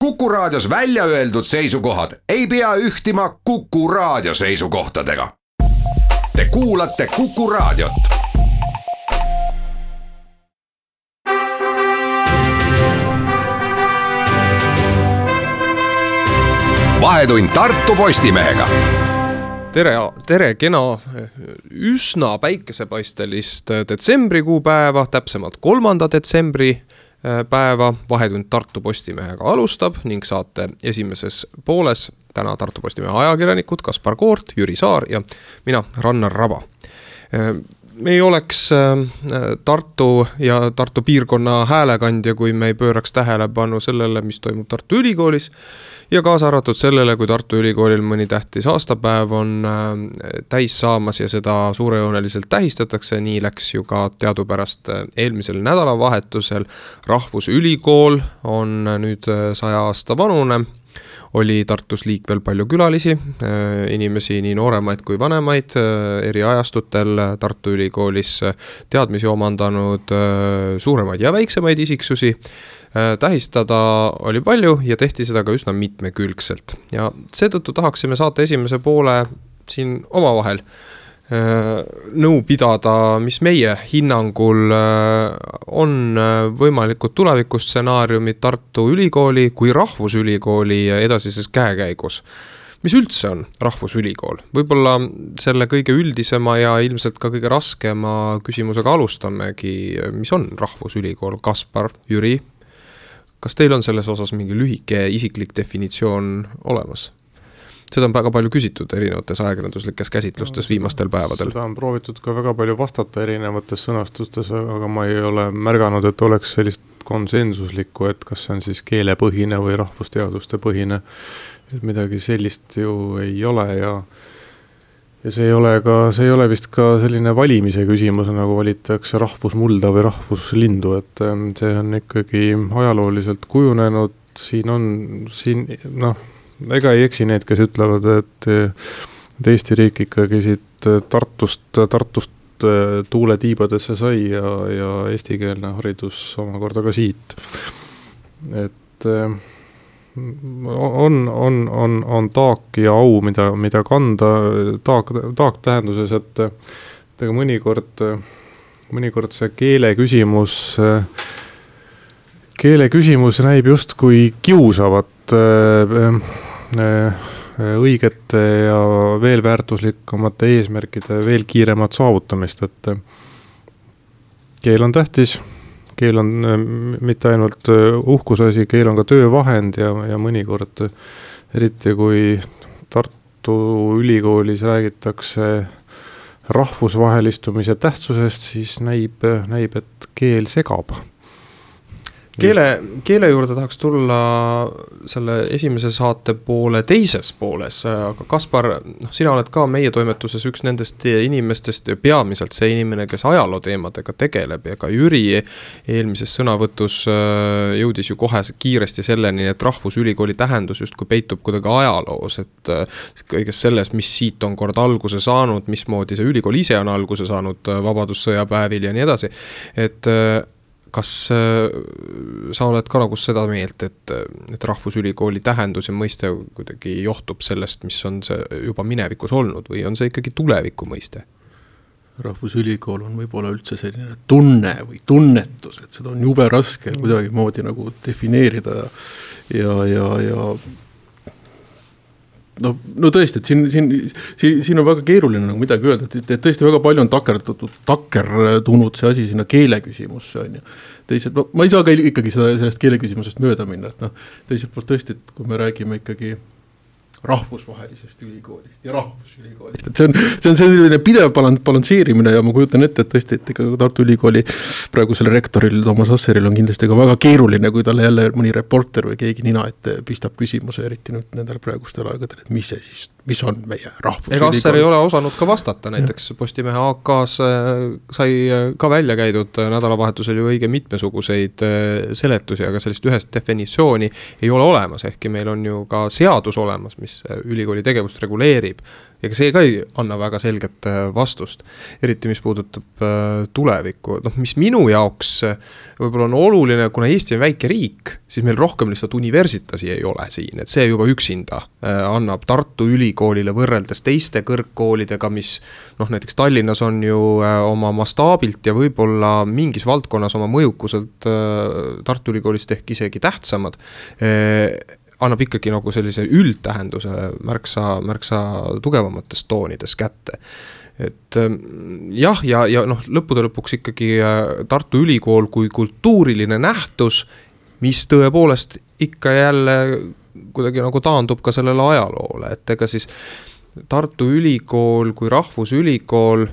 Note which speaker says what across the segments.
Speaker 1: Kuku Raadios välja öeldud seisukohad ei pea ühtima Kuku Raadio seisukohtadega. Te kuulate Kuku Raadiot. Vahetund Tartu Postimehega.
Speaker 2: Tere kena üsna päikesepaistelist detsembrikuu päeva, täpsemalt 3. detsembri päeva. Vahetund Tartu Postimehega alustab ning saate esimeses pooles täna Tartu Postimehe ajakirjanikud Kaspar Koort, Jüri Saar ja mina, Rannar Raba. Me ei oleks Tartu ja Tartu piirkonna häälekandja, kui me ei pööraks tähelepanu sellele, mis toimub Tartu Ülikoolis ja kaasa arvatud sellele, kui Tartu Ülikoolil mõni tähtis aastapäev on täis saamas ja seda suurejooneliselt tähistatakse. Nii läks ju ka teadupärast eelmisel nädalavahetusel. Rahvusülikool on nüüd 100 aasta vanune. Oli Tartus liikvel palju külalisi, inimesi nii nooremaid kui vanemaid, eri ajastutel Tartu Ülikoolis teadmisi omandanud suuremaid ja väiksemaid isiksusi. Tähistada oli palju ja tehti seda ka üsna mitmekülgselt. Ja seetõttu tahaksime saate esimese poole siin omavahel nõu pidada, mis meie hinnangul on võimalikud tulevikustsenaariumid Tartu Ülikooli kui Rahvusülikooli edasises käekäigus. Mis üldse on Rahvusülikool? Võib-olla selle kõige üldisema ja ilmselt ka kõige raskema küsimusega alustamegi, mis on Rahvusülikool. Kaspar, Jüri, kas teil on selles osas mingi lühike isiklik definitsioon olemas? Seda on väga palju küsitud erinevates ajakirjanduslikes käsitlustes viimastel päevadel.
Speaker 3: Seda on proovitud ka väga palju vastata erinevates sõnastustes, aga ma ei ole märganud, et oleks sellist konsensuslikku, et kas see on siis keelepõhine või rahvusteaduste põhine. Et midagi sellist ju ei ole ja see ei ole vist ka selline valimise küsimus, nagu valitakse rahvusmulda või rahvuslindu, et see on ikkagi ajalooliselt kujunenud. Ega ei eksi need, kes ütlevad, et Eesti riik ikkagi siit Tartust tuuletiibadesse sai ja eestikeelne haridus omakorda ka siit. Et on taak ja au, mida kanda. Taak tähenduses, et mõnikord see keele küsimus näib just kui kiusavat õigete ja veel väärtuslikumate eesmärkide veel kiiremat saavutamist, et keel on tähtis, keel on mitte ainult uhkusasi, keel on ka töövahend ja mõnikord, eriti kui Tartu Ülikoolis räägitakse rahvusvahelistumise tähtsusest, siis näib, et keel segab.
Speaker 2: Keele juurde tahaks tulla selle esimese saate poole teises pooles, aga Kaspar, sina oled ka meie toimetuses üks nendest inimestest ja peamiselt see inimene, kes ajaloo teemadega tegeleb ja ka Jüri eelmises sõnavõtus jõudis ju kohe kiiresti selleni, et Rahvusülikooli tähendus just kui peitub kuidagi ajaloos, et kõiges selles, mis siit on kord alguse saanud, mismoodi see ülikool ise on alguse saanud vabadussõjapäevil ja nii edasi, et kas sa oled ka nagu seda meelt, et Rahvusülikooli tähendus ja mõiste kuidagi johtub sellest, mis on see juba minevikus olnud või on see ikkagi tuleviku mõiste?
Speaker 4: Rahvusülikool on võib-olla üldse selline tunne või tunnetus, et seda on jube raske kuidagi moodi nagu defineerida ja No tõesti, et siin on väga keeruline nagu midagi öelda, et tõesti väga palju on takerdunud see asi sinna keele küsimusse. Teiselt, ma ei saa ka ikkagi sellest keele küsimusest mööda minna. Teiselt poolt tõesti, et kui me räägime ikkagi rahvusvahelisest ülikoolist ja rahvusülikoolist. Et see on selline pidev balansseerimine ja ma kujutan ette, et tõesti, et Tartu Ülikooli praegusel rektoril Toomas Asseril on kindlasti ka väga keeruline, kui talle jälle mõni reporter või keegi nina ette pistab küsimuse, eriti nüüd nendel praegustel aegadel, et mis on meie rahvusülikool.
Speaker 2: Ega Asser ei ole osanud ka vastata, näiteks Postimehe AK-s sai ka välja käidud nädalavahetusel ju õige mitmesuguseid seletusi, aga sellist ühest definitsiooni ei ole olemas, ehkki meil on ju ka seadus olemas, mis mis ülikooli tegevust reguleerib. Ja see ka ei anna väga selget vastust, eriti mis puudutab tulevikku. Mis minu jaoks võib-olla on oluline, kuna Eesti on väike riik, siis meil rohkem lihtsalt universitasi ei ole siin, et see juba üksinda annab Tartu Ülikoolile võrreldes teiste kõrgkoolidega, mis näiteks Tallinnas on ju oma mastaabilt ja võib-olla mingis valdkonnas oma mõjukuselt Tartu Ülikoolist ehk isegi tähtsamad, annab ikkagi nagu sellise üldtähenduse märksa tugevamatest toonides kätte. Et jah, ja lõppude lõpuks ikkagi Tartu Ülikool kui kultuuriline nähtus, mis tõepoolest ikka jälle kuidagi nagu taandub ka sellele ajaloole, et ega siis Tartu Ülikool kui rahvusülikool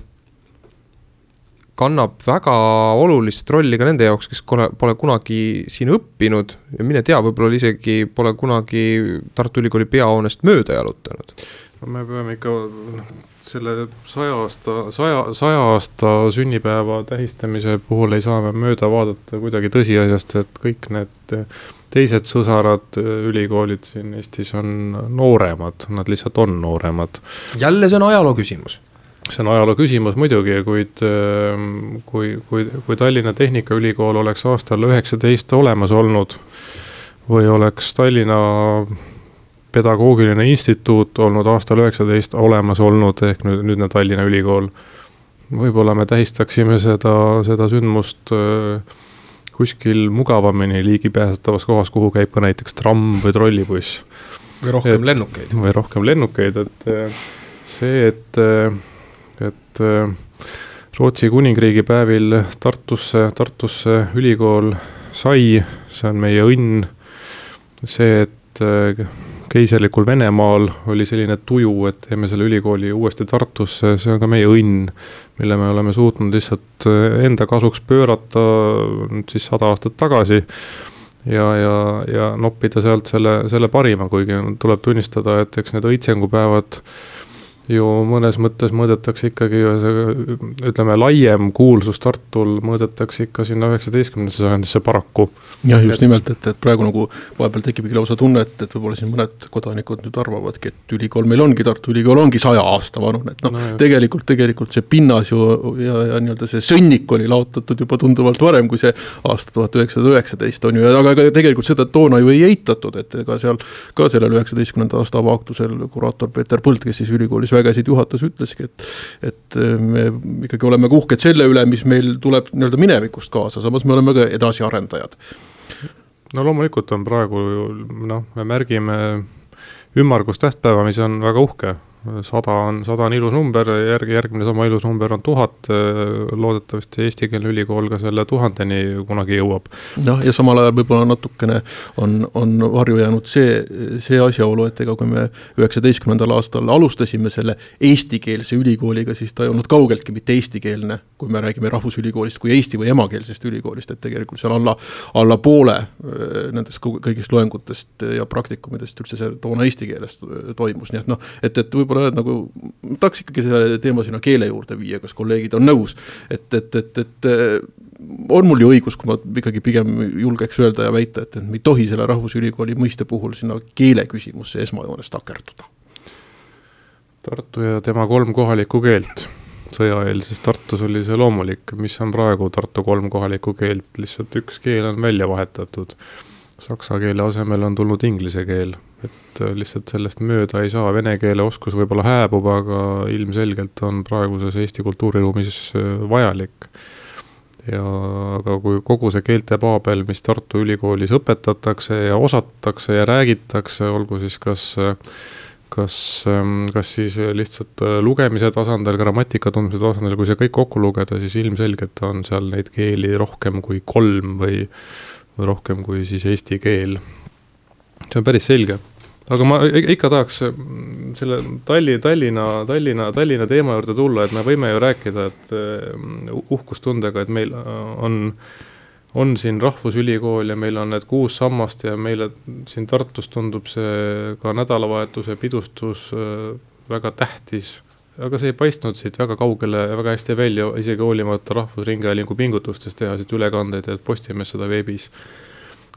Speaker 2: kannab väga olulist rolli ka nende jaoks, kes pole kunagi siin õppinud ja mine tea, võib-olla isegi pole kunagi Tartu Ülikooli peahoonest mööda jalutanud.
Speaker 3: Me peame ikka selle 100 aasta sünnipäeva tähistamise puhul ei saa me mööda vaadata kuidagi tõsiasjast, et kõik need teised sõsarad ülikoolid siin Eestis on nooremad, nad lihtsalt on nooremad.
Speaker 2: Jälle see on ajaloo küsimus.
Speaker 3: See on ajaloo küsimus muidugi, kuid kui Tallinna Tehnikaülikool oleks aastal 19 olemas olnud või oleks Tallinna Pedagoogiline Instituut olnud aastal 19 olemas olnud, ehk nüüdne Tallinna Ülikool, võib-olla me tähistaksime seda sündmust kuskil mugavamini ligipääsetavas kohas, kuhu käib ka näiteks tramm või trollibuss.
Speaker 2: Või rohkem lennukeid.
Speaker 3: Et see, et Rootsi kuningriigi päevil Tartusse ülikool sai, see on meie õnn. See, et keiserlikul Venemaal oli selline tuju, et teeme selle ülikooli uuesti Tartusse, see on ka meie õnn, mille me oleme suutnud lihtsalt enda kasuks pöörata siis 100 aastat tagasi ja noppida sealt selle parima, kuigi tuleb tunnistada, et eks need õitsengupäevad ju mõnes mõttes mõõdetakse ikkagi, ütleme, laiem kuulsus Tartul mõõdetakse ikka sinna 19. sajandisse paraku.
Speaker 4: Jah, just nimelt, et praegu nagu vahepeal tekibki lausa tunne, et võib-olla siin mõned kodanikud nüüd arvavadki, et ülikool meil ongi, Tartu Ülikool ongi 100 aasta vanune, et tegelikult see pinnas ju ja nii-öelda see sõnnik oli laotatud juba tunduvalt varem kui see aasta 1919 on ju, aga tegelikult seda toona ju ei eitatud, et ega seal ka sellel 19. aasta avaaktusel kuraator Peeter Põld, kes siis ülikoolis vägesid juhatas, ütleski, et me ikkagi oleme uhked selle üle, mis meil tuleb nii-öelda minevikust kaasa, samas me oleme ka edasiarendajad.
Speaker 3: No loomulikult on praegu, me märgime ümmargust tähtpäeva, mis on väga uhke. 100 on ilus number, järgmine sama ilus number on 1000, loodetavasti eestikeelne ülikool ka selle 1000-ni kunagi jõuab.
Speaker 4: Ja samal ajal võib-olla natukene on varju jäänud see asjaolu, et ega kui me 19. aastal alustasime selle eestikeelse ülikooliga, siis ta ei olnud kaugeltki mitte eestikeelne, kui me räägime rahvusülikoolist kui eesti või emakeelsest ülikoolist, et tegelikult seal alla poole nendest kõigist loengutest ja praktikumidest üldse see toona eesti keeles toimus, nii et võib-olla nagu tahaks ikkagi selle teema sinna keele juurde viia, kas kolleegid on nõus, et on mul ju õigus, kui ma ikkagi pigem julgeks öelda ja väita, et me ei tohi selle rahvusülikooli mõiste puhul sinna keele küsimusse esmajoones takerduda.
Speaker 3: Tartu ja tema 3 kohalikku keelt. Sõjaeelses Tartus oli see loomulik, mis on praegu Tartu 3 kohalikku keelt, lihtsalt üks keel on välja vahetatud. Saksa keele asemel on tulnud inglise keel, et lihtsalt sellest mööda ei saa, vene keele oskus võib-olla hääbub, aga ilmselgelt on praeguses Eesti kultuuriruumis vajalik. Aga kui kogu see keeltepaabel, mis Tartu Ülikoolis õpetatakse ja osatakse ja räägitakse, olgu siis kas siis lihtsalt lugemise tasandil, grammatika tundmise tasandil, kui see kõik kokku lugeda, siis ilmselgelt on seal neid keeli rohkem kui 3 või rohkem kui siis eesti keel. See on päris selge. Aga ma ikka tahaks selle Tallinna teema juurde tulla, et me võime ju rääkida, et uhkustundega, et meil on siin rahvusülikool ja meil on need 6 sammast ja meile siin Tartus tundub see ka nädalavahetuse pidustus väga tähtis. Aga see ei paistnud siit väga kaugele ja väga hästi välja, isegi hoolimata Rahvusringhäälingu pingutustest teha siit ülekandeid, et Postimees seda veebis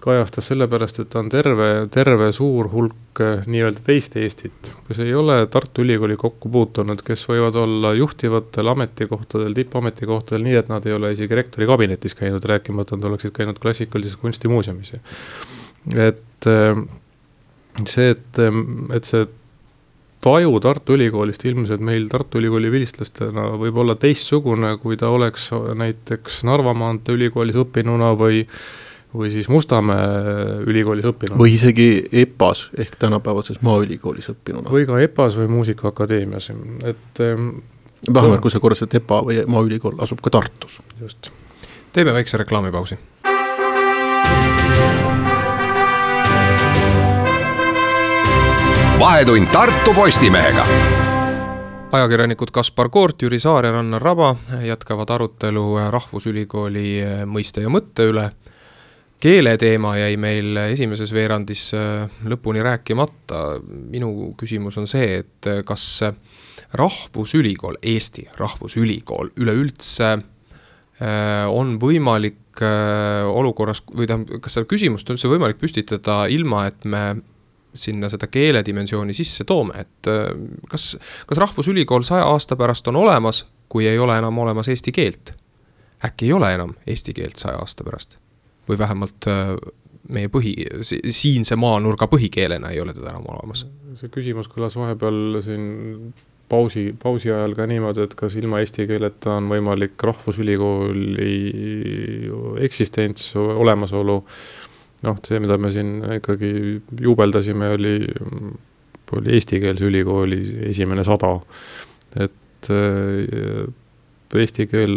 Speaker 3: kajastas sellepärast, et on terve suur hulk nii-öelda teist Eestit, kes ei ole Tartu Ülikooli kokku puutunud, kes võivad olla juhtivatel ametikohtadel, tippametikohtadel nii, et nad ei ole isegi rektori kabinetis käinud, rääkimata nad oleksid käinud klassikalises kunstimuuseumis. Et see taju Tartu Ülikoolist ilmselt meil Tartu Ülikooli vilistlastena võib olla teistsugune, kui ta oleks näiteks Narva maantee ülikoolis õppinuna või siis Mustamäe ülikoolis õppinuna.
Speaker 4: Või isegi EPAS ehk tänapäevases maaülikoolis õppinuna.
Speaker 3: Või ka EPAS või Muusikaakadeemias.
Speaker 4: Vähemalt kui see korras, et EPA või maaülikool asub ka Tartus.
Speaker 3: Just.
Speaker 2: Teeme väikse reklaamipausi.
Speaker 1: Vahetund Tartu Postimehega.
Speaker 2: Ajakirjanikud Kaspar Koort, Jüri Saar ja Rannar Raba jätkavad arutelu Rahvusülikooli mõiste ja mõtte üle. Keeleteema jäi meil esimeses veerandis lõpuni rääkimata. Minu küsimus on see, et kas Rahvusülikool, Eesti Rahvusülikool üleüldse on võimalik olukorras, või kas seda küsimust on üldse võimalik püstitada ilma, et me sinna seda keeledimensiooni sisse toome, et kas Rahvusülikool 100 aasta pärast on olemas, kui ei ole enam olemas eesti keelt? Äkki ei ole enam eesti keelt 100 aasta pärast? Või vähemalt meie siinse maanurga põhikeelena ei ole teda enam olemas?
Speaker 3: See küsimus kõlas vahepeal siin pausi ajal ka niimoodi, et kas ilma eesti keeleta on võimalik Rahvusülikooli eksistents, olemasolu. See, mida me siin ikkagi juubeldasime, oli eestikeelse ülikooli esimene 100. Et eesti keel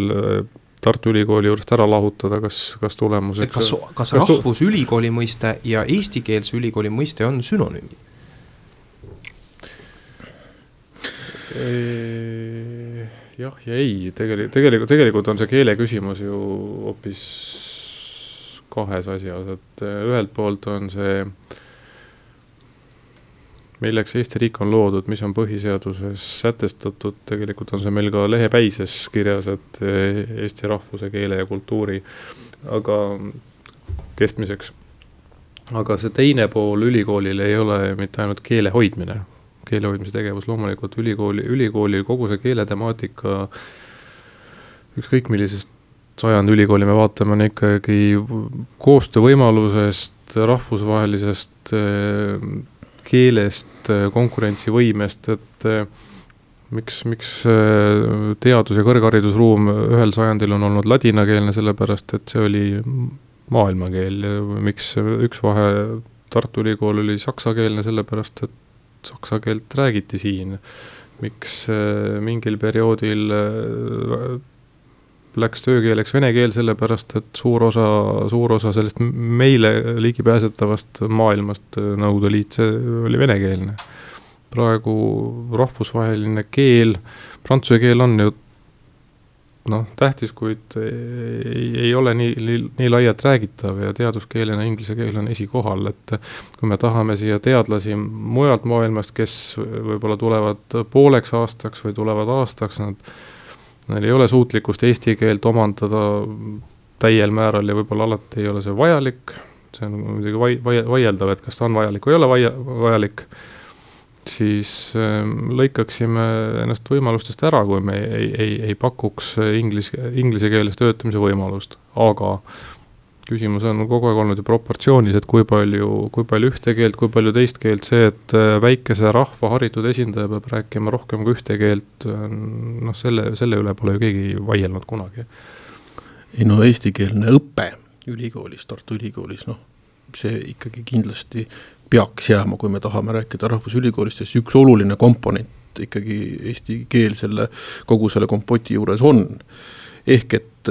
Speaker 3: Tartu Ülikooli juurest ära lahutada, kas tulemuseks...
Speaker 2: Kas Rahvusülikooli mõiste ja eestikeelse ülikooli mõiste on sünonüümid?
Speaker 3: Jah ja ei. Tegelikult on see keele küsimus ju hoopis kahes asjas, et ühelt poolt on see, milleks Eesti riik on loodud, mis on põhiseaduses sätestatud, tegelikult on see meil ka lehepäises kirjas, et Eesti rahvuse, keele ja kultuuri aga kestmiseks. Aga see teine pool ülikoolil ei ole mitte ainult keele hoidmine, keele hoidmise tegevus, loomulikult ülikooli kogu see keeletemaatika, ükskõik millisest sajandi ülikooli me vaatame, on ikkagi koostöövõimalusest, rahvusvahelisest keelest, konkurentsivõimest, et miks teadus- ja kõrgharidusruum ühel sajandil on olnud ladinakeelne, sellepärast, et see oli maailmakeel. Miks üks vahe Tartu Ülikool oli saksakeelne, sellepärast, et saksa keelt räägiti siin. Miks mingil perioodil läks töökeeleks vene keel, sellepärast, et suur osa sellest meile ligipääsetavast maailmast Nõukogude Liit, see oli venekeelne. Praegu rahvusvaheline keel, prantsuse keel on ju tähtis, kuid ei ole nii laialt räägitav ja teaduskeelena inglise keel on esikohal, et kui me tahame siia teadlasi mujalt maailmast, kes võib-olla tulevad pooleks aastaks või tulevad aastaks, neil ei ole suutlikkust eesti keelt omandada täiel määral ja võib-olla alati ei ole see vajalik. See on muidugi vaieldav, et kas ta on vajalik või ei ole vajalik. Siis lõikaksime ennast võimalustest ära, kui me ei pakuks inglise keeles töötamise võimalust. Aga küsimus on kogu aeg olnud ju proportsioonis, et kui palju ühte keelt, kui palju teist keelt, see, et väikese rahva haritud esindaja peab rääkima rohkem kui ühte keelt, selle üle pole ju keegi vaielnud kunagi.
Speaker 4: Eestikeelne õpe ülikoolis, Tartu Ülikoolis, see ikkagi kindlasti peaks jääma, kui me tahame rääkida Rahvusülikoolist, sest üks oluline komponent ikkagi eesti keel kogu selle kompoti juures on. Ehk et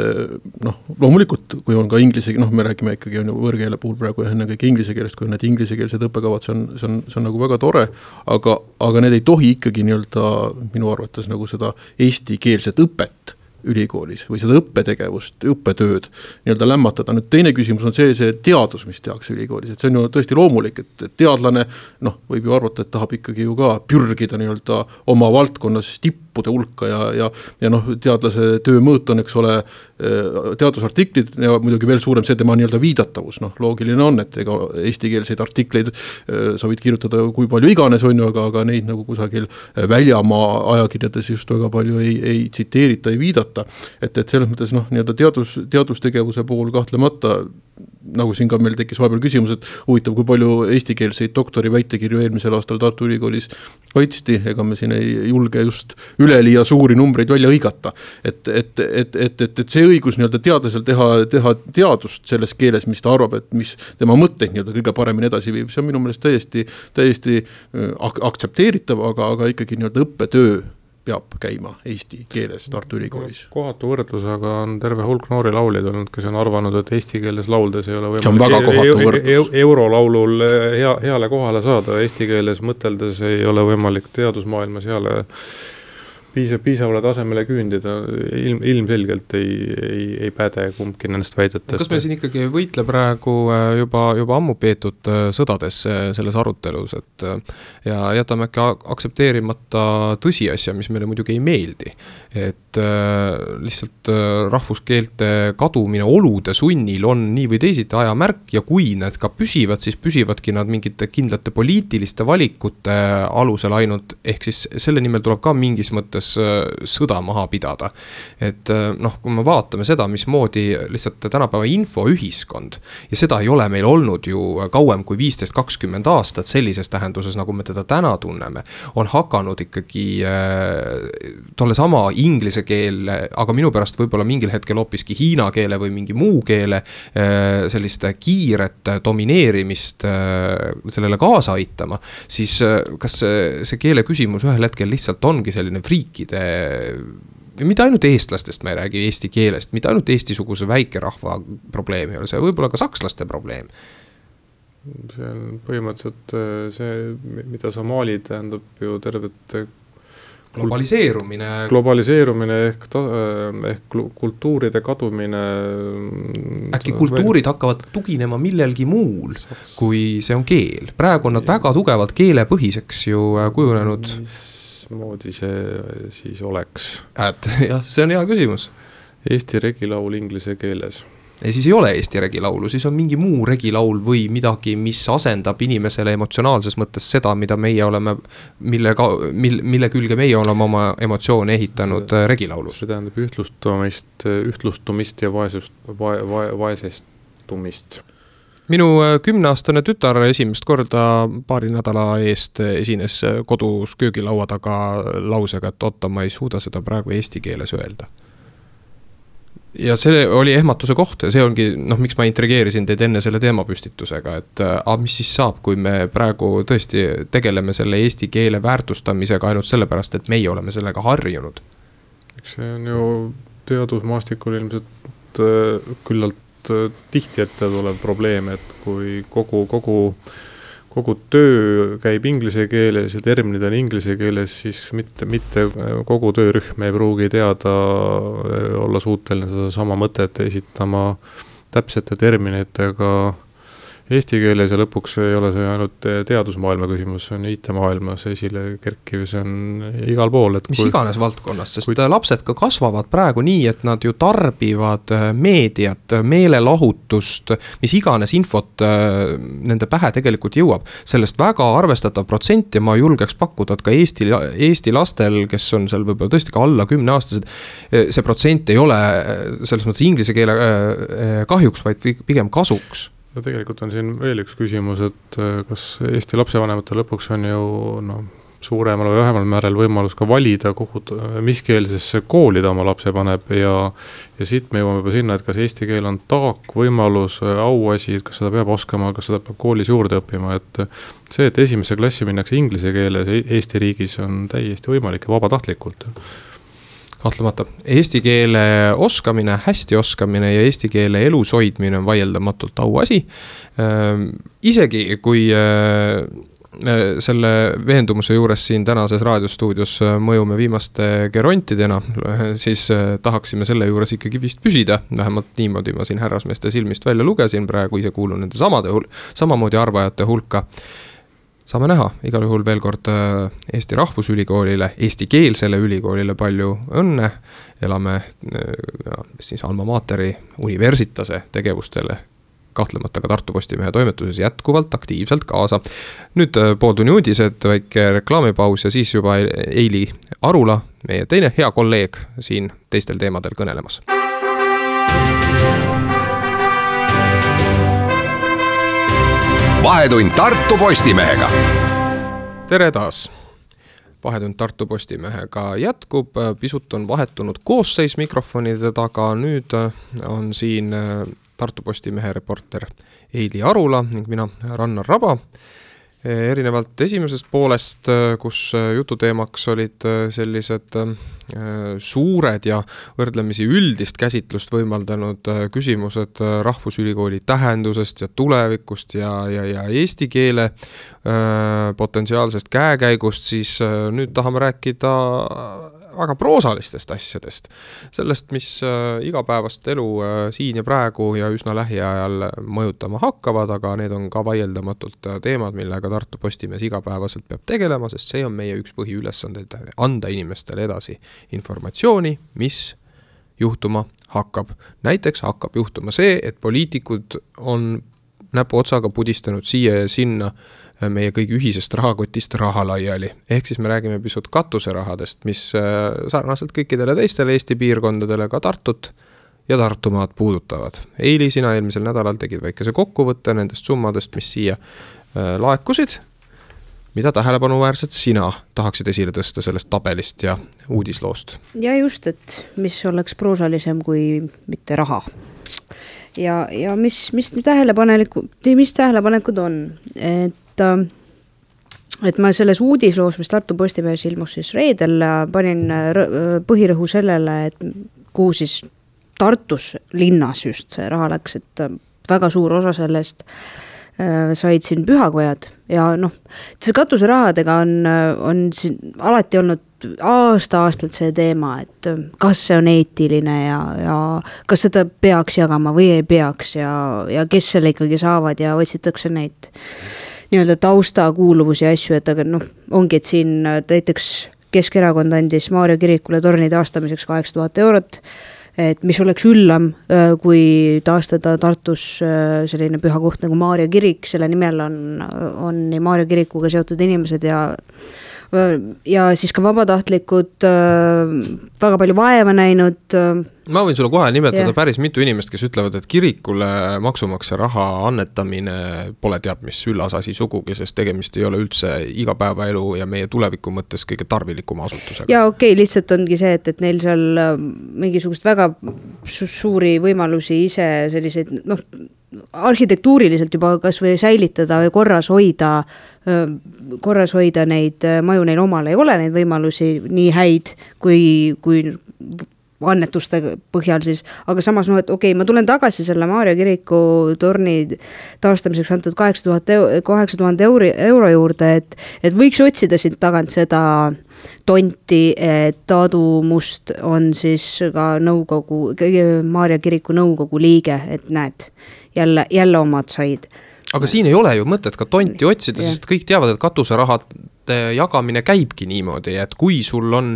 Speaker 4: loomulikult, kui on ka inglise, me räägime ikkagi võõrkeele puhul praegu enne kõik inglise keelest, kui need inglisekeelsed õppekavad, see on nagu väga tore, aga need ei tohi ikkagi minu arvates seda eestikeelset õpet ülikoolis või seda õppetegevust, õppetööd lämmatada. Nüüd teine küsimus on see teadus, mis tehakse ülikoolis, et see on ju tõesti loomulik, et teadlane võib ju arvata, et tahab ikkagi ju ka pürgida oma valdkonnas tippu tippude hulka ja noh, teadlase töö mõõt on, eks ole, teadusartiklid ja muidugi veel suurem see tema nii-öelda viidatavus, noh, loogiline on, et ega eestikeelseid artikleid sa võid kirjutada kui palju iganes on ju, aga neid nagu kusagil väljamaa ajakirjades just väga palju ei tsiteerita, ei viidata, et selles mõttes noh, nii-öelda teadustegevuse pool kahtlemata, nagu siin ka meil tekkis vahepeal küsimus, et huvitav, kui palju eestikeelseid doktori väitekirju eelmisel aastal Tartu Ülikoolis kaitsti, ega me siin ei julge just üleliia suuri numbreid välja hõigata. Et see õigus nii-öelda teadlasel teha teadust selles keeles, mis ta arvab, et mis tema mõtteid nii-öelda kõige paremini edasi viib, see on minu meelest täiesti aktsepteeritav, aga ikkagi nii-öelda õppetöö peab käima eesti keeles Tartu Ülikoolis.
Speaker 3: Kohatu võrdlusega on terve hulk noori lauljaid olnud, kes on arvanud, et eesti keeles lauldes ei ole
Speaker 4: võimalik
Speaker 3: eurolaulul heale kohale saada, eesti keeles mõteldes ei ole võimalik teadusmaailmas heale piisavale tasemele küündida, ilmselgelt ei päde kumbki nendest väidetest.
Speaker 2: Kas me siin ikkagi võitle praegu juba ammu peetud sõdades selles arutelus, et ja jätame äkki aktsepteerimata tõsiasja, mis meile muidugi ei meeldi, et lihtsalt rahvuskeelte kadumine olude sunnil on nii või teisiti ajamärk ja kui need ka püsivad, siis püsivadki nad mingite kindlate poliitiliste valikute alusel ainult, ehk siis selle nimel tuleb ka mingis mõttes sõda maha pidada. Et noh, kui me vaatame seda, mismoodi lihtsalt tänapäeva infoühiskond ja seda ei ole meil olnud ju kauem kui 15-20 aastat sellises tähenduses, nagu me teda täna tunneme, on hakanud ikkagi tolle sama inglise keele, aga minu pärast võib-olla mingil hetkel hoopiski hiina keele või mingi muu keele sellist kiiret domineerimist sellele kaasa aitama, siis kas see keele küsimus ühel hetkel lihtsalt ongi selline friikide, mitte ainult eestlastest ma ei räägi eesti keelest, mitte ainult Eesti-suguse väikerahva probleem ei ole, see võib-olla ka sakslaste probleem.
Speaker 3: See on põhimõtteliselt see, mida sa maalid, tähendab ju tervet globaliseerumine ehk kultuuride kadumine.
Speaker 2: Äkki kultuurid hakkavad tuginema millelgi muul, kui see on keel. Praegu on nad väga tugevalt keelepõhiseks ju kujunenud.
Speaker 3: Moodi see siis oleks?
Speaker 2: Jah, see on hea küsimus.
Speaker 3: Eesti regilaul inglise keeles.
Speaker 2: Ja siis ei ole Eesti regilaulu, siis on mingi muu regilaul või midagi, mis asendab inimesele emotsionaalses mõttes seda, mida meie oleme, mille külge meie oleme oma emotsioone ehitanud regilaulus.
Speaker 3: See tähendab ühtlustumist ja vaesestumist.
Speaker 2: Minu 10-aastane tütar esimest korda paari nädala eest esines kodus köögilaua taga lausega, et oota, ma ei suuda seda praegu eesti keeles öelda. Ja see oli ehmatuse koht ja see ongi, noh, miks ma intrigeerisin teid enne selle teemapüstitusega, et mis siis saab, kui me praegu tõesti tegeleme selle eesti keele väärtustamisega ainult sellepärast, et meie oleme sellega harjunud.
Speaker 3: Eks see on ju teadusmaastikul ilmselt küllalt tihti ette tulev probleem, et kui kogu töö käib inglise keeles ja terminid on inglise keeles, siis mitte kogu töörühm ei pruugi teada olla suuteline seda sama mõtet esitama täpsete terminitega eesti keeles ja lõpuks ei ole see ainult teadusmaailma küsimus, see on IT-maailmas esile kerkiv, see on igal pool.
Speaker 2: Mis iganes valdkonnas, sest lapsed ka kasvavad praegu nii, et nad ju tarbivad meediat, meelelahutust, mis iganes infot nende pähe tegelikult jõuab. Sellest väga arvestatav protsent ja ma julgeks pakkuda, et ka Eesti lastel, kes on seal võib-olla tõesti ka alla 10-aastased, see protsent ei ole selles mõttes inglise keele kahjuks, vaid pigem kasuks.
Speaker 3: No tegelikult on siin veel üks küsimus, et kas Eesti lapsevanemate lõpuks on ju suuremal või vähemal määrel võimalus ka valida, mis keelsesse kooli ta oma lapse paneb ja siit me jõuame juba sinna, et kas eesti keel on taak, võimalus, auasi, kas seda peab oskama, kas seda peab koolis juurde õppima, et see, et esimesse klassi minnakse inglise keeles Eesti riigis on täiesti võimalik ja vabatahtlikult.
Speaker 2: Kahtlemata. Eesti keele oskamine, hästi oskamine ja eesti keele elus hoidmine on vaieldamatult auasi. Isegi kui selle veendumuse juures siin tänases raadiostuudios mõjume viimaste gerontidena, siis tahaksime selle juures ikkagi vist püsida. Vähemalt niimoodi ma siin härrasmeeste silmist välja lugesin, praegu ise kuulun nende samamoodi arvajate hulka. saame näha, igal juhul veel kord Eesti Rahvusülikoolile, eestikeelsele ülikoolile palju õnne, elame siis Alma Materi Universitase tegevustele kahtlemata ka Tartu Postimehe toimetuses jätkuvalt aktiivselt kaasa. Nüüd pooltunni uudised, väike reklaamipaus ja siis juba Eili Arula, meie teine hea kolleeg siin teistel teemadel kõnelemas.
Speaker 1: Vahetund Tartu Postimehega.
Speaker 2: Tere taas! Vahetund Tartu Postimehega jätkub, pisut on vahetunud koosseis mikrofonide taga, nüüd on siin Tartu Postimehe reporter Eili Arula ning mina Rannar Raba. Erinevalt esimesest poolest, kus jututeemaks olid sellised suured ja võrdlemisi üldist käsitlust võimaldanud küsimused Rahvusülikooli tähendusest ja tulevikust ja eesti keele potentsiaalsest käekäigust, siis nüüd tahame rääkida väga proosalistest asjadest. Sellest, mis igapäevast elu siin ja praegu ja üsna lähiajal mõjutama hakkavad, aga need on ka vaieldamatult teemad, millega Tartu Postimees igapäevaselt peab tegelema, sest see on meie üks põhiülesandeid anda inimestele edasi informatsiooni, mis juhtuma hakkab. Näiteks hakkab juhtuma see, et poliitikud on näpu otsaga pudistanud siia ja sinna meie kõigi ühisest rahakotist raha laiali. Ehk siis me räägime pisut katuserahadest, mis sarnaselt kõikidele teistele Eesti piirkondadele ka Tartut ja Tartumaad puudutavad. Eili, sina eelmisel nädalal tegid väikese kokkuvõtte nendest summadest, mis siia laekusid. Mida tähelepanuväärselt sina tahaksid esile tõsta sellest tabelist ja uudisloost?
Speaker 5: Ja just, et mis oleks proosalisem kui mitte raha. Ja mis tähelepanekud on, et ma selles uudisloos, mis Tartu Postimehes ilmus siis reedel, panin põhirõhu sellele, et kuhu siis Tartus linnas just see raha läks, et väga suur osa sellest said siin pühakojad ja see katuserahadega on siin alati olnud aastalt see teema, et kas see on eetiline ja kas seda peaks jagama või ei peaks ja kes selle ikkagi saavad ja otsitakse neid nii-öelda taustakuuluvusi ja asju, et aga ongi, et siin näiteks Keskerakond andis Maarja kirikule torni taastamiseks 8000 eurot, et mis oleks üllam, kui taastada Tartus selline püha koht nagu Maarja kirik, selle nimel on nii Maarja kirikuga seotud inimesed ja siis ka vabatahtlikud väga palju vaeva näinud.
Speaker 2: Ma võin sulle kohe nimetada päris mitu inimest, kes ütlevad, et kirikule maksumaksja raha annetamine pole teab mis üllasasi sugugi, sest tegemist ei ole üldse igapäevaelu ja meie tuleviku mõttes kõige tarvilikuma asutusega.
Speaker 5: Ja okei, lihtsalt ongi see, et neil seal mingisugust väga suuri võimalusi ise selliseid, arhitektuuriliselt juba kas või säilitada või korras hoida neid maju neil omal ei ole neid võimalusi nii häid kui annetuste põhjal siis, aga samas et okei, ma tulen tagasi selle Maarja kiriku torni taastamiseks antud 8000 euro juurde, et võiks otsida siit tagant seda tonti, et Aadu Must on siis ka Maarja kiriku nõukogu liige, et näed, jälle omad said.
Speaker 2: Aga siin ei ole ju mõtet ka tonti otsida, sest kõik teavad, et katuserahad jagamine käibki niimoodi, et kui sul on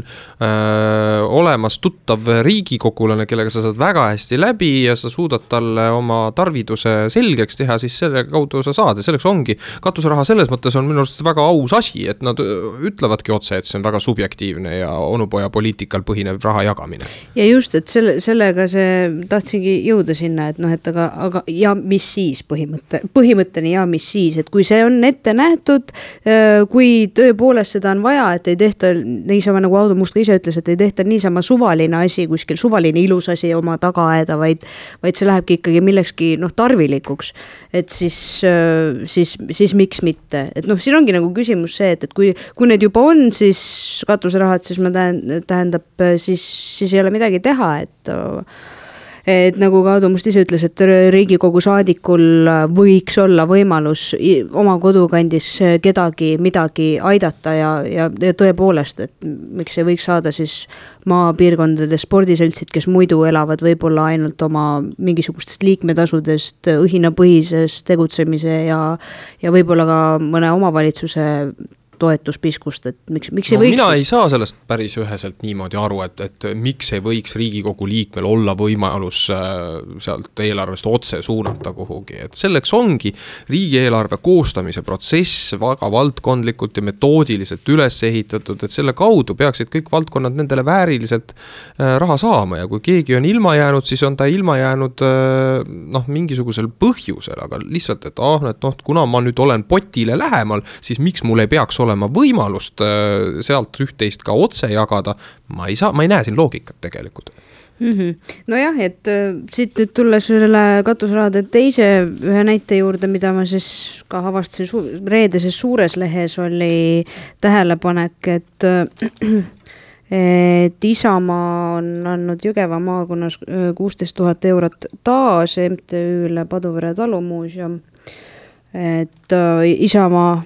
Speaker 2: olemas tuttav riigikogulane, kellega sa saad väga hästi läbi ja sa suudad talle oma tarviduse selgeks teha, siis selle kaudu sa saad ja selleks ongi. Katuseraha selles mõttes on minu arust väga aus asi, et nad ütlevadki otse, et see on väga subjektiivne ja onupoja poliitikal põhinev raha jagamine.
Speaker 5: Ja just, et sellega tahtsingi jõuda sinna, et aga ja mis siis põhimõtteni ja mis siis, et kui see on ette nähtud, kui tõepoolest seda on vaja, et ei tehta niisama, nagu Aadu Must ka ise ütles, et ei tehta niisama suvaline asi, kuskil suvaline ilus asi oma tagaaeda, vaid see lähebki ikkagi millekski tarvilikuks, et siis miks mitte. Et siin ongi nagu küsimus see, et kui need juba on, siis katuserahad, siis tähendab, siis ei ole midagi teha, et nagu ka Aadu Must ise ütles, et Riigikogu saadikul võiks olla võimalus oma kodukandis kedagi midagi aidata ja tõepoolest, et miks ei võiks saada siis maapiirkondade spordiseltsid, kes muidu elavad võib-olla ainult oma mingisugustest liikmetasudest, õhinapõhisest tegutsemise ja võib-olla ka mõne omavalitsuse toetuspiskust, et miks ei võiks...
Speaker 2: Mina ei saa sellest päris üheselt niimoodi aru, et miks ei võiks Riigikogu liikmel olla võimalus sealt eelarvest otse suunata kuhugi, et selleks ongi riigieelarve koostamise protsess väga valdkondlikult ja metoodiliselt üles ehitatud, et selle kaudu peaksid kõik valdkonnad nendele vääriliselt raha saama ja kui keegi on ilma jäänud, siis on ta ilma jäänud mingisugusel põhjusel, aga lihtsalt, et kuna ma nüüd olen potile lähemal, siis miks mul ei peaks olema võimalust sealt üht-teist ka otse jagada, ma ei näe siin loogikat tegelikult.
Speaker 5: Nojah, et siit nüüd tulles selle katusrahade teise ühe näite juurde, mida ma siis ka avastasin reedeses suures lehes, oli tähelepanek, et Isamaa on andnud Jõgeva maakonnas 16 000 eurot taas MTÜ-le Paduvere talumuuseum, et Isamaa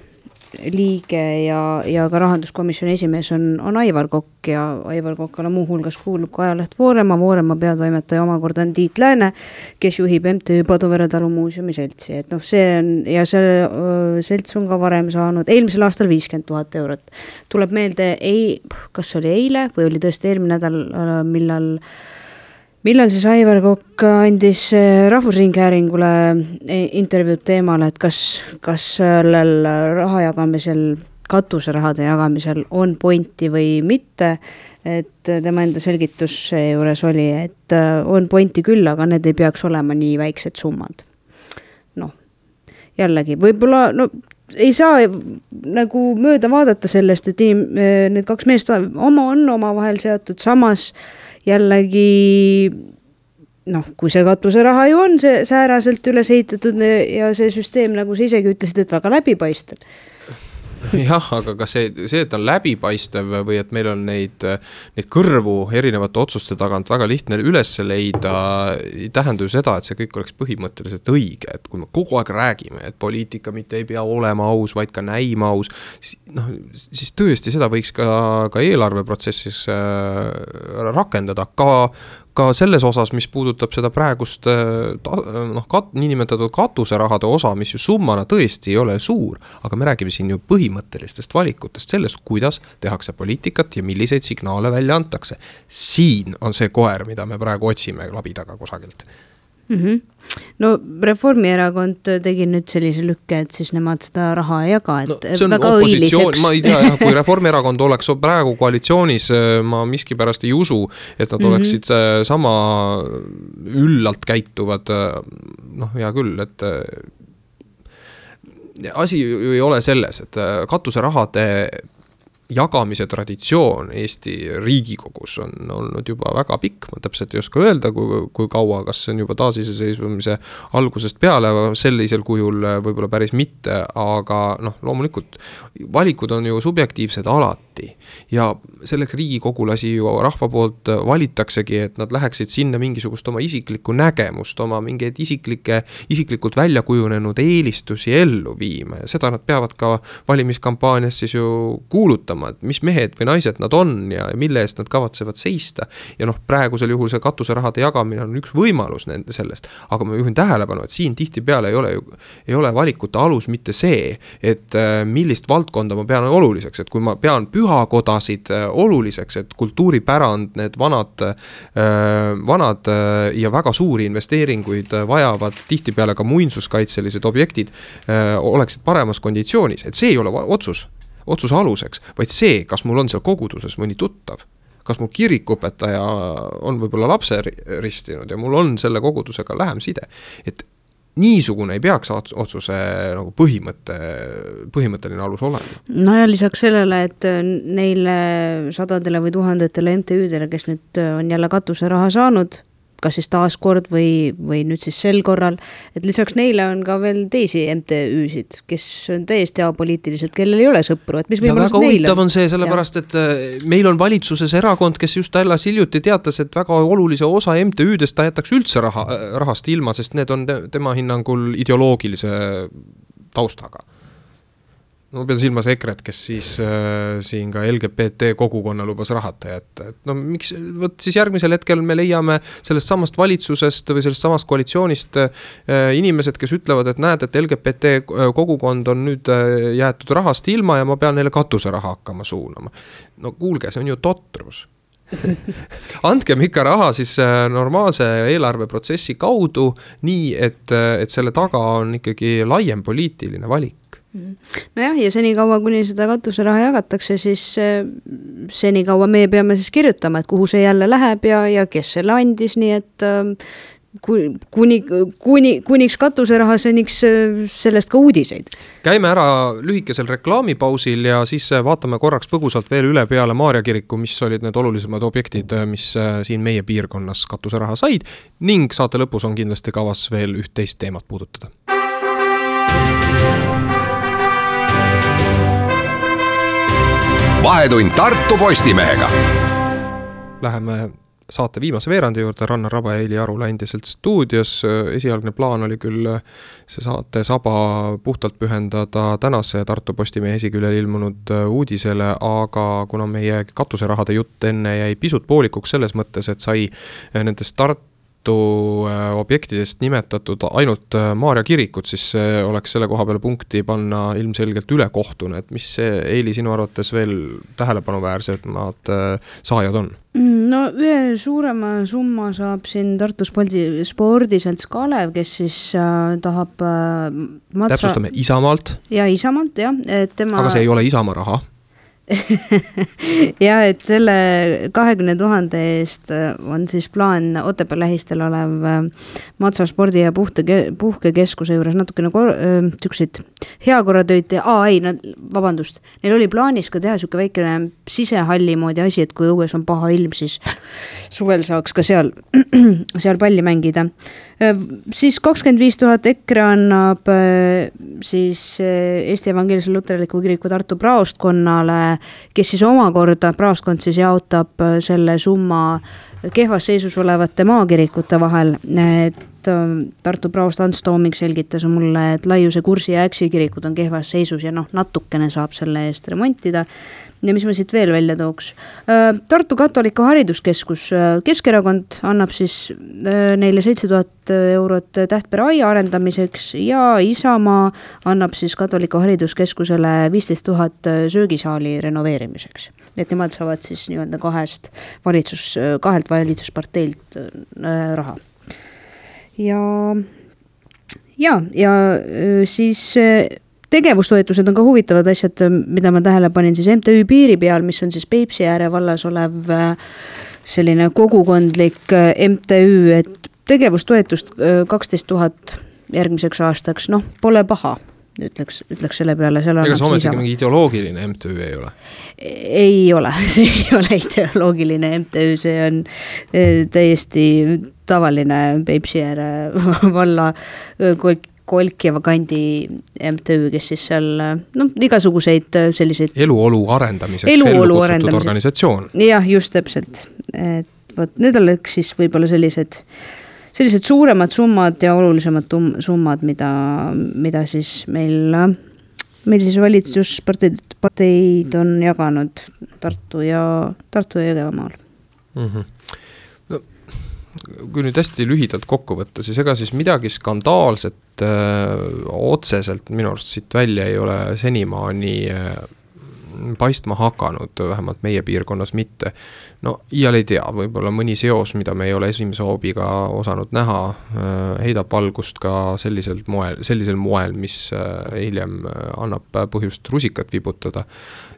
Speaker 5: liige ja ka rahanduskomisjoni esimees on Aivar Kokk ja Aivar Kokkale muuhulgas kuulub ka ajaleht Voorema peatoimetaja omakorda on Tiit Lääne, kes juhib MTÜ Paduvere talumuuseumi seltsi, et see on ja see selts on ka varem saanud eelmisel aastal 50 000 eurot. Tuleb meelde, kas oli eile või oli tõesti eelmine nädal, millal siis Aivar Kokk andis Rahvusringhäälingule intervjuud teemal, et kas sellel raha jagamisel, katuserahade jagamisel on pointi või mitte, et tema enda selgitus juures oli, et on pointi küll, aga need ei peaks olema nii väiksed summad. Jällegi, võib-olla ei saa nagu mööda vaadata sellest, et need kaks meest on omavahel seotud, samas jällegi kui see katuseraha ju on see sääraselt üles ehitatud ja see süsteem, nagu sa isegi ütlesid, et väga läbipaistev.
Speaker 2: Jah, aga ka see, et on läbipaistev või et meil on neid kõrvu erinevate otsuste tagant väga lihtne üles leida, ei tähenda ju seda, et see kõik oleks põhimõtteliselt õige, et kui me kogu aeg räägime, et poliitika mitte ei pea olema aus, vaid ka näima aus, siis tõesti seda võiks ka eelarveprotsessis rakendada, ka selles osas, mis puudutab seda praegust niinimetatud katuserahade osa, mis ju summana tõesti ei ole suur, aga me räägime siin ju põhimõttelistest valikutest, sellest, kuidas tehakse poliitikat ja milliseid signaale välja antakse. Siin on see koer, mida me praegu otsime labidaga kusagilt.
Speaker 5: No Reformierakond tegi nüüd sellise lükke, et siis nemad seda raha ei jaga, et
Speaker 2: see on
Speaker 5: väga
Speaker 2: õiliseks. Ma ei tea, kui Reformierakond oleks praegu koalitsioonis, ma miskipärast ei usu, et nad oleksid sama üllalt käituvad, hea küll, et asi ju ei ole selles, et katuserahade jagamise traditsioon Eesti Riigikogus on olnud juba väga pikk, ma täpselt ei oska öelda, kui kaua, kas see on juba taasiseseisvumise algusest peale, sellisel kujul võib-olla päris mitte, aga loomulikult valikud on ju subjektiivsed alati ja selleks riigikogulasi ju rahva poolt valitaksegi, et nad läheksid sinna mingisugust oma isiklikku nägemust, oma mingeid isiklikult välja kujunenud eelistusi ellu viima ja seda nad peavad ka valimiskampaanias siis ju kuulutama, et mis mehed või naised nad on ja mille eest nad kavatsevad seista. Ja praegusel juhul see katuserahade jagamine on üks võimalus nende sellest, aga ma juhin tähelepanu, et siin tihtipeale ei ole valikute alus mitte see, et millist valdkonda ma pean oluliseks, et kui ma pean pühakodasid oluliseks, et kultuuripärand, need vanad ja väga suuri investeeringuid vajavad tihtipeale ka muinsuskaitselised objektid oleksid paremas konditsioonis, et see ei ole otsuse aluseks, vaid see, kas mul on seal koguduses mõni tuttav, kas mul kirikupetaja on võib-olla lapse ristinud ja mul on selle kogudusega lähem side, et niisugune ei peaks otsuse nagu põhimõtteline alus olema.
Speaker 5: No ja lisaks sellele, et neile sadadele või tuhandetele MTÜ-dele, kes nüüd on jälle katuseraha saanud, kas siis taaskord või nüüd siis sel korral, et lisaks neile on ka veel teisi MTÜ-sid, kes on täiesti apoliitilised, kellel ei ole sõpru, et mis
Speaker 2: ja väga huvitav on see, sellepärast,
Speaker 5: ja.
Speaker 2: et meil on valitsuses erakond, kes just alles hiljuti teatas, et väga olulise osa MTÜ-dest ta jätaks üldse rahast ilma, sest need on tema hinnangul ideoloogilise taustaga. No pean silmas EKRE-t, kes siis siin ka LGBT kogukonna lubas rahata jätta. Et no miks, võt siis järgmisel hetkel me leiame sellest samast valitsusest või sellest samast koalitsioonist inimesed, kes ütlevad, et näed, et LGBT kogukond on nüüd jäetud rahast ilma ja ma pean neile katuseraha hakkama suunama. No kuulge, see on ju totrus. Andkem ikka raha siis normaalse eelarveprotsessi kaudu nii, et selle taga on ikkagi laiem poliitiline valik.
Speaker 5: Nojah, ja senikaua, kuni seda katuseraha jagatakse, siis senikaua me peame siis kirjutama, et kuhu see jälle läheb ja kes selle andis, nii et kuniks katuseraha, seniks sellest ka uudiseid.
Speaker 2: Käime ära lühikesel reklaamipausil ja siis vaatame korraks põgusalt veel üle peale Maarja kiriku, mis olid need olulisemad objektid, mis siin meie piirkonnas katuseraha said ning saate lõpus on kindlasti kavas veel üht-teist teemat puudutada.
Speaker 1: Vahetund Tartu Postimehega.
Speaker 2: Läheme saate viimase veerandi juurde, Rannar Raba ja Eili Arula endiselt stuudios. Esialgne plaan oli küll see saate saba puhtalt pühendada tänase Tartu Postimehe esiküljel ilmunud uudisele, aga kuna meie katuserahade jutt enne jäi pisut poolikuks selles mõttes, et sai nendest Tartu objektidest nimetatud ainult Maarja kirikut, siis oleks selle koha peale punkti panna ilmselgelt ülekohtune, et mis see, Eili, sinu arvates veel tähelepanuväärsemad saajad on?
Speaker 5: No ühe suurema summa saab siin Tartu spordiselts Kalev, kes siis tahab
Speaker 2: täpsustame Isamaalt.
Speaker 5: Ja Isamaalt, jah.
Speaker 2: Aga see ei ole Isamaa raha.
Speaker 5: ja et selle 20 000 eest on siis plaan Otepää lähistel olev Matsa spordi- ja puhkekeskuse juures natukene tüksid heakorratöid vabandust, neil oli plaanis ka teha siuke väikene sisehalli moodi asi, et kui õues on paha ilm, siis suvel saaks ka seal palli mängida. Siis 25 000 EKRE annab siis Eesti Evangeelse Luterliku Kiriku Tartu praostkonnale, kes siis omakorda praostkond siis jaotab selle summa kehvas seisus olevate maakirikute vahel, et Tartu praost Ants Tooming selgitas mulle, et Laiuse Kursi ja Äksi kirikud on kehvas seisus ja natukene saab selle eest remontida. Ja mis ma siit veel välja tooks? Tartu Katoliku Hariduskeskus, Keskerakond annab siis neile 7000 eurot Tähtpere aia arendamiseks ja Isamaa annab siis Katoliku Hariduskeskusele 15 000 söögisaali renoveerimiseks. Et nemad saavad siis nii-öelda kahelt valitsusparteilt raha. Ja siis tegevustoetused on ka huvitavad asjad, mida ma tähele panin siis MTÜ Piiri peal, mis on siis Peipsi ääre vallas olev selline kogukondlik MTÜ, et tegevustoetust 12 000 järgmiseks aastaks, pole paha, ütleks selle peale.
Speaker 2: Ega see ometigi mingi ideoloogiline MTÜ ei ole?
Speaker 5: Ei ole, see ei ole ideoloogiline MTÜ, see on täiesti tavaline Peipsi ääre valla Kolkjeva kandi MTÜ, kes siis seal igasuguseid selliseid
Speaker 2: eluolu arendamiseks ellu kutsutud organisatsioon.
Speaker 5: Jah, just täpselt. Et võt, need oleks siis võib-olla sellised suuremad summad ja olulisemad summad, mida siis meil siis valitsusparteid on jaganud Tartu ja Jõgevamaal.
Speaker 2: Kui nüüd hästi lühidalt kokku võtta, siis ega siis midagi skandaalset otseselt minu arust siit välja ei ole senimaani paistma hakanud, vähemalt meie piirkonnas mitte. Iial ei tea, võib-olla mõni seos, mida me ei ole esimese hoobiga osanud näha, heidab valgust ka sellisel moel, mis hiljem annab põhjust rusikat vibutada.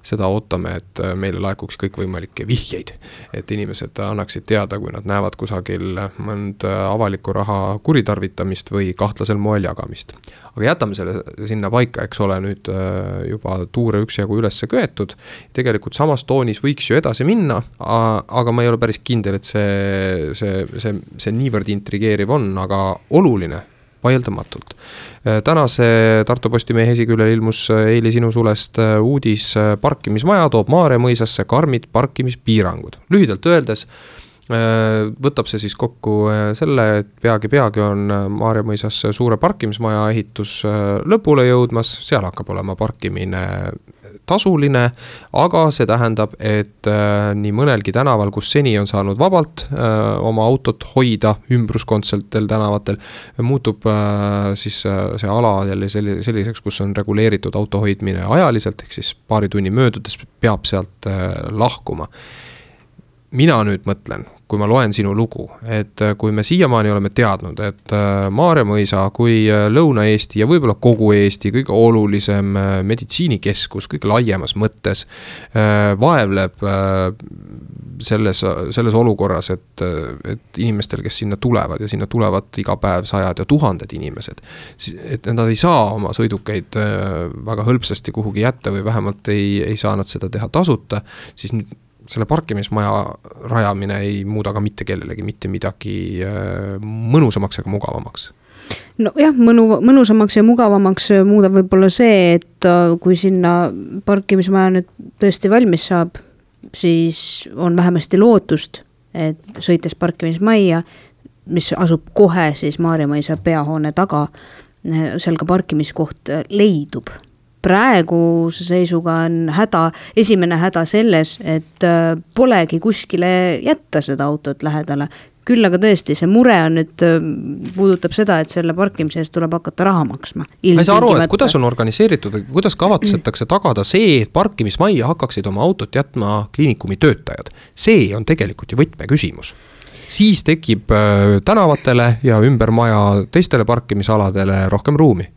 Speaker 2: Seda ootame, et meile laekuks kõik võimalikke vihjeid, et inimesed annaksid teada, kui nad näevad kusagil mõnd avaliku raha kuritarvitamist või kahtlasel moel jagamist. Aga jätame selle sinna paika, eks ole, nüüd juba tuure üksjagu ülesse köetud. tehtud, tegelikult samas toonis võiks ju edasi minna, aga ma ei ole päris kindel, et see niivõrd intrigeeriv on, aga oluline vaieldamatult. Tänase Tartu Postimehe esiküljel ilmus eile sinu sulest uudis parkimismaja toob Maarja mõisasse karmid parkimispiirangud. Lühidalt öeldes võtab see siis kokku selle, et peagi on Maarja mõisas suure parkimismaja ehitus lõpule jõudmas, seal hakkab olema parkimine tasuline, aga see tähendab, et nii mõnelgi tänaval, kus seni on saanud vabalt oma autot hoida ümbruskondsetel tänavatel, muutub siis see ala jälle selliseks, kus on reguleeritud auto hoidmine ajaliselt, ehk siis paari tunni möödudes peab sealt lahkuma. Mina nüüd mõtlen, kui ma loen sinu lugu, et kui me siiamaani oleme teadnud, et Maarja mõisa kui Lõuna-Eesti ja võib-olla kogu Eesti kõige olulisem meditsiinikeskus kõige laiemas mõttes vaevleb selles olukorras, et inimestel, kes sinna tulevad ja sinna tulevad iga päev sajad ja tuhanded inimesed, et nad ei saa oma sõidukeid väga hõlpsasti kuhugi jätta või vähemalt ei saa nad seda teha tasuta, siis selle parkimismaja rajamine ei muuda ka mitte kellelegi mitte midagi mõnusamaks ega mugavamaks.
Speaker 5: No jah, mõnusamaks ja mugavamaks muudab võib-olla see, et kui sinna parkimismaja nüüd tõesti valmis saab, siis on vähemasti lootust, et sõites parkimismaja, mis asub kohe siis Maarja mõisa peahoone taga, seal ka parkimiskoht leidub. Praeguse seisuga on esimene häda selles, et polegi kuskile jätta seda autot lähedale. Küll aga tõesti, see mure on nüüd, puudutab seda, et selle parkimise eest tuleb hakata raha maksma.
Speaker 2: Ma ei saa aru, et kuidas on organiseeritud või kuidas kavatsetakse tagada see, et parkimismaja hakkaksid oma autot jätma kliinikumi töötajad. See on tegelikult ju võtmeküsimus. Siis tekib tänavatele ja ümber maja teistele parkimisaladele rohkem ruumi.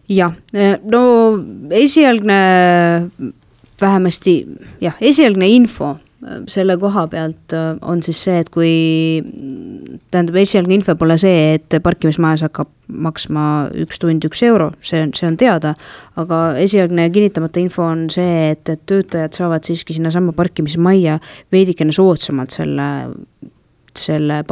Speaker 5: Jah, no esialgne info selle koha pealt on siis see, et kui esialgne info pole see, et parkimismajas hakkab maksma 1 tund 1 euro, see on teada, aga esialgne kinnitamata info on see, et töötajad saavad siiski sinna sama parkimismaja veidikene soodsamalt selle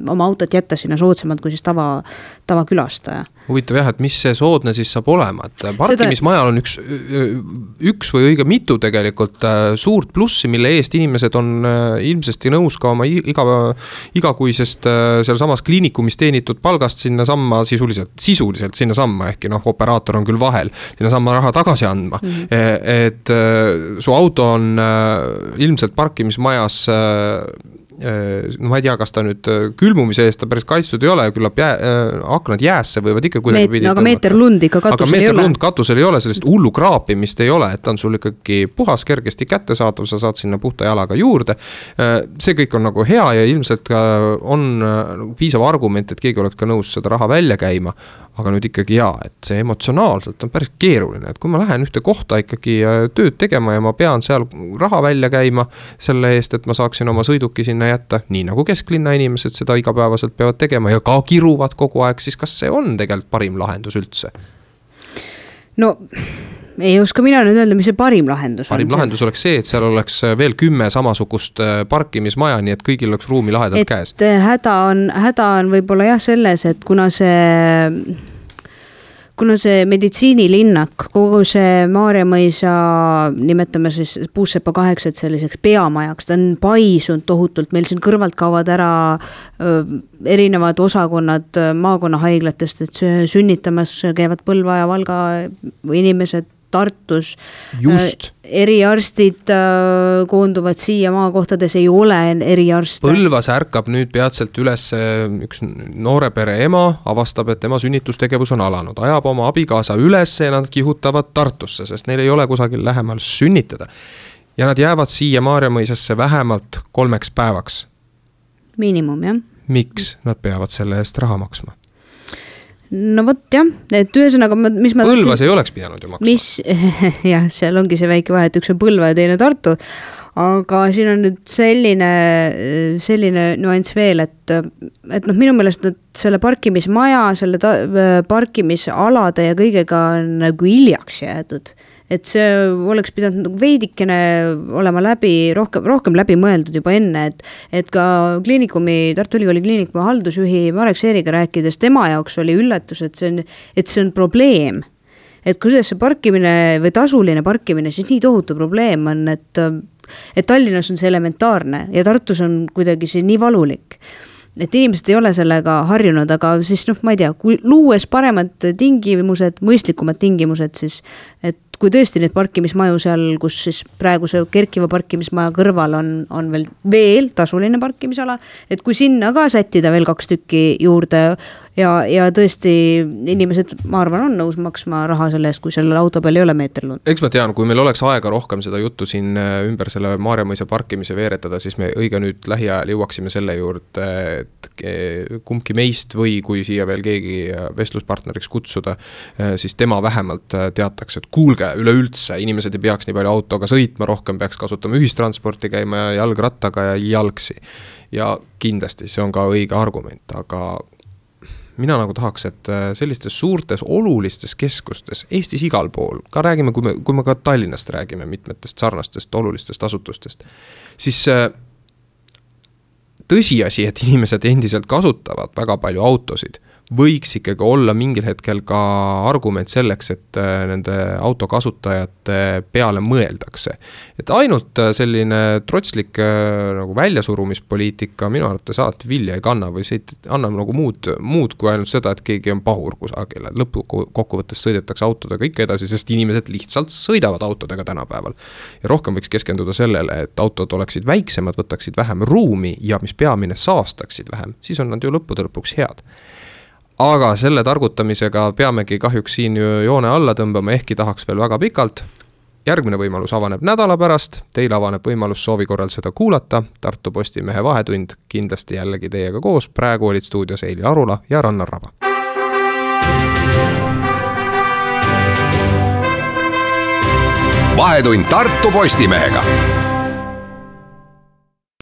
Speaker 5: oma autot jätta sinna soodsamalt kui siis tavakülastaja.
Speaker 2: Huvitav jah, et mis see soodne siis saab olema, et parkimismajal on üks või õige mitu tegelikult suurt plussi, mille eest inimesed on ilmsesti nõus ka oma igakuisest seal samas kliinikumis teenitud palgast sinna samma sisuliselt sinna samma, ehkki operaator on küll vahel, sinna samma raha tagasi andma. Et su auto on ilmselt parkimismajas ma ei tea, kas ta nüüd külmumise eest ta päris kaitstud ei ole, küllap aknad jäässe võivad ikka kuidagi pidi
Speaker 5: aga meeter lund ikka katusel ei ole.
Speaker 2: Aga meeter lund katusel ei ole, sellist hullu kraapimist ei ole, et ta on sul ikkagi puhas, kergesti kättesaadav, sa saad sinna puhta jalaga juurde. See kõik on nagu hea ja ilmselt on piisav argument, et keegi oleks ka nõus seda raha välja käima, aga nüüd ikkagi et see emotsionaalselt on päris keeruline, et kui ma lähen ühte kohta ikkagi tööd tegema ja ma pean seal raha välja käima selle eest, et ma saaksin oma sõiduki sinna jätta, nii nagu kesklinna inimesed seda igapäevaselt peavad tegema ja ka kiruvad kogu aeg, siis kas see on tegelikult parim lahendus üldse? No
Speaker 5: ei oska mina nüüd öelda, mis see parim lahendus
Speaker 2: on. Lahendus oleks see, et seal oleks veel 10 samasugust parkimismaja, nii et kõigil oleks ruumi lahedalt käes.
Speaker 5: Häda on võib-olla jah selles, et kuna see meditsiinilinnak, kogu see Maarja mõisa, nimetame siis Puussepa 8 selliseks peamajaks, ta on paisunud tohutult, meil siin kõrvalt kaovad ära erinevad osakonnad maakonnahaiglatest, et sünnitamas käivad Põlva ja Valga inimesed Tartus.
Speaker 2: Just.
Speaker 5: Eriarstid koonduvad siia maakohtades, ei ole eriarste.
Speaker 2: Põlvas ärkab nüüd peatselt üles üks noore pere ema, avastab, et tema sünnitustegevus on alanud, ajab oma abikaasa üles ja nad kihutavad Tartusse, sest neil ei ole kusagil lähemal sünnitada. Ja nad jäävad siia Maarja mõisasse vähemalt 3 päevaks.
Speaker 5: Miinimum, jah.
Speaker 2: Miks nad peavad selle eest raha maksma?
Speaker 5: No võt jah, et ühesõnaga
Speaker 2: Põlvas ei oleks pidanud ju maksma.
Speaker 5: Jah, seal ongi see väike vahe, et üks on Põlva ja teine Tartu, aga siin on nüüd selline nüanss veel, et minu meelest selle parkimismaja, selle parkimisalade ja kõigega on nagu hiljaks jäädud. et see oleks pidanud nagu veidikene olema rohkem läbi mõeldud juba enne, et ka Tartu Ülikooli kliinikumi haldusjuhi Marek Seeriga rääkides, tema jaoks oli üllatus, et see on probleem. Et kuidas see parkimine või tasuline parkimine siis nii tohutu probleem on, et Tallinnas on see elementaarne ja Tartus on kuidagi see nii valulik. Et inimesed ei ole sellega harjunud, aga siis ma ei tea, kui luues paremad tingimused, mõistlikumad tingimused, siis et kui tõesti need parkimismaju seal, kus siis praeguse kerkiva parkimismaja kõrval on veel tasuline parkimisala, et kui sinna ka sättida veel 2 tükki juurde ja tõesti inimesed, ma arvan, on nõus maksma raha selle eest, kui sellel auto peal ei ole meeterlund.
Speaker 2: Eks ma tean, kui meil oleks aega rohkem seda juttu siin ümber selle Maarjamõisa parkimise veeretada, siis me õige nüüd lähiajal jõuaksime selle juurde, et kumbki meist või kui siia veel keegi vestluspartneriks kutsuda, siis tema vähemalt teataks, et kuulge, üleüldse inimesed ei peaks nii palju autoga sõitma, rohkem peaks kasutama ühistransporti, käima jalgrattaga ja jalgsi. Ja kindlasti see on ka õige argument, aga mina nagu tahaks, et sellistes suurtes olulistes keskustes, Eestis igal pool, ka räägime, kui me ka Tallinnast räägime, mitmetest sarnastest olulistest asutustest, siis tõsiasi, et inimesed endiselt kasutavad väga palju autosid, võiks ikkagi olla mingil hetkel ka argument selleks, et nende autokasutajate peale mõeldakse. Et ainult selline trotslik nagu väljasurumispoliitika minu arvates alati vilja ei kanna või see annab nagu muud kui ainult seda, et keegi on pahur kusagil. Lõpukokkuvõttes sõidetakse autodega ikka edasi, sest inimesed lihtsalt sõidavad autodega tänapäeval. Ja rohkem võiks keskenduda sellele, et autod oleksid väiksemad, võtaksid vähem ruumi ja mis peamine saastaksid vähem, siis on nad ju lõpuks head. Aga selle targutamisega peamegi kahjuks siin joone alla tõmbama, ehkki tahaks veel väga pikalt. Järgmine võimalus avaneb nädala pärast, teil avaneb võimalus soovi korral seda kuulata. Tartu Postimehe vahetund kindlasti jällegi teiega koos, praegu olid stuudios Eili Arula ja Rannar Raba.
Speaker 1: Vahetund Tartu Postimehega.